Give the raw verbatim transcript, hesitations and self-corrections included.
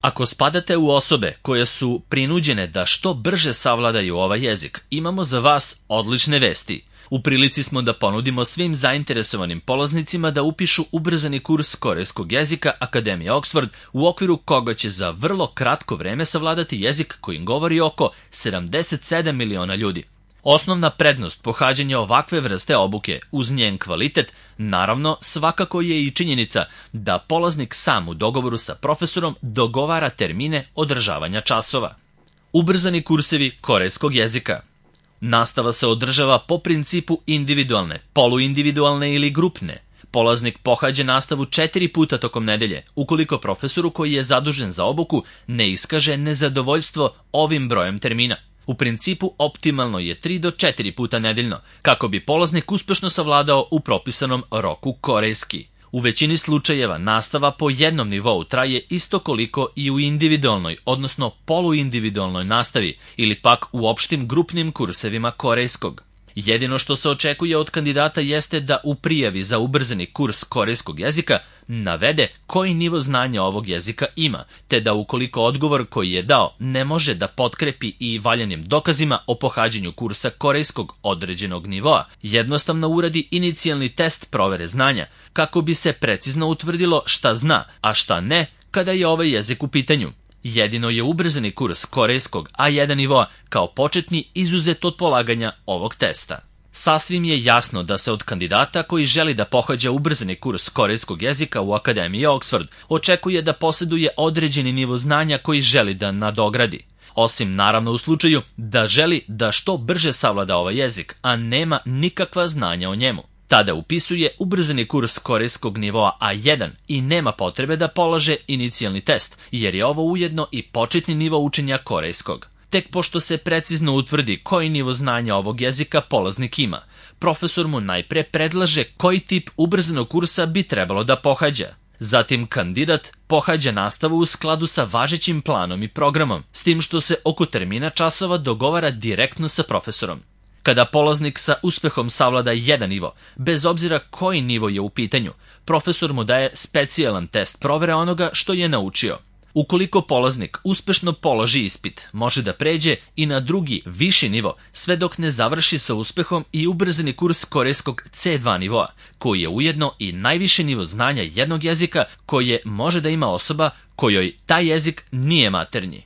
Ako spadate u osobe koje su prinuđene da što brže savladaju ovaj jezik, imamo za vas odlične vesti. U prilici smo da ponudimo svim zainteresovanim polaznicima da upišu ubrzani kurs korejskog jezika Akademije Oxford, u okviru koga će za vrlo kratko vreme savladati jezik kojim govori oko sedamdeset sedam miliona ljudi. Osnovna prednost pohađanja ovakve vrste obuke uz njen kvalitet, naravno, svakako je i činjenica da polaznik sam u dogovoru sa profesorom dogovara termine održavanja časova. Ubrzani kursevi korejskog jezika. Nastava se održava po principu individualne, poluindividualne ili grupne. Polaznik pohađa nastavu četiri puta tokom nedelje, ukoliko profesoru koji je zadužen za obuku ne iskaže nezadovoljstvo ovim brojem termina. U principu optimalno je tri do četiri puta nedeljno, kako bi polaznik uspešno savladao u propisanom roku korejski. U većini slučajeva nastava po jednom nivou traje isto koliko i u individualnoj, odnosno poluindividualnoj nastavi ili pak u opštim grupnim kursevima korejskog. Jedino što se očekuje od kandidata jeste da u prijavi za ubrzani kurs korejskog jezika navede koji nivo znanja ovog jezika ima, te da ukoliko odgovor koji je dao ne može da potkrepi i valjanim dokazima o pohađanju kursa korejskog određenog nivoa, jednostavno uradi inicijalni test provere znanja, kako bi se precizno utvrdilo šta zna, a šta ne kada je ovaj jezik u pitanju. Jedino je ubrzani kurs korejskog A jedan nivoa kao početni izuzet od polaganja ovog testa. Sasvim je jasno da se od kandidata koji želi da pohađa ubrzani kurs korejskog jezika u Akademiji Oxford očekuje da posjeduje određeni nivo znanja koji želi da nadogradi. Osim naravno u slučaju da želi da što brže savlada ovaj jezik, a nema nikakva znanja o njemu. Tada upisuje ubrzani kurs korejskog nivoa A jedan i nema potrebe da polaže inicijalni test, jer je ovo ujedno i početni nivo učenja korejskog. Tek pošto se precizno utvrdi koji nivo znanja ovog jezika polaznik ima, profesor mu najpre predlaže koji tip ubrzanog kursa bi trebalo da pohađa. Zatim kandidat pohađa nastavu u skladu sa važećim planom i programom, s tim što se oko termina časova dogovara direktno sa profesorom. Kada polaznik sa uspehom savlada jedan nivo, bez obzira koji nivo je u pitanju, profesor mu daje specijalan test provere onoga što je naučio. Ukoliko polaznik uspešno položi ispit, može da pređe i na drugi, viši nivo, sve dok ne završi sa uspehom i ubrzani kurs korejskog C dva nivoa, koji je ujedno i najviši nivo znanja jednog jezika koje može da ima osoba kojoj taj jezik nije maternji.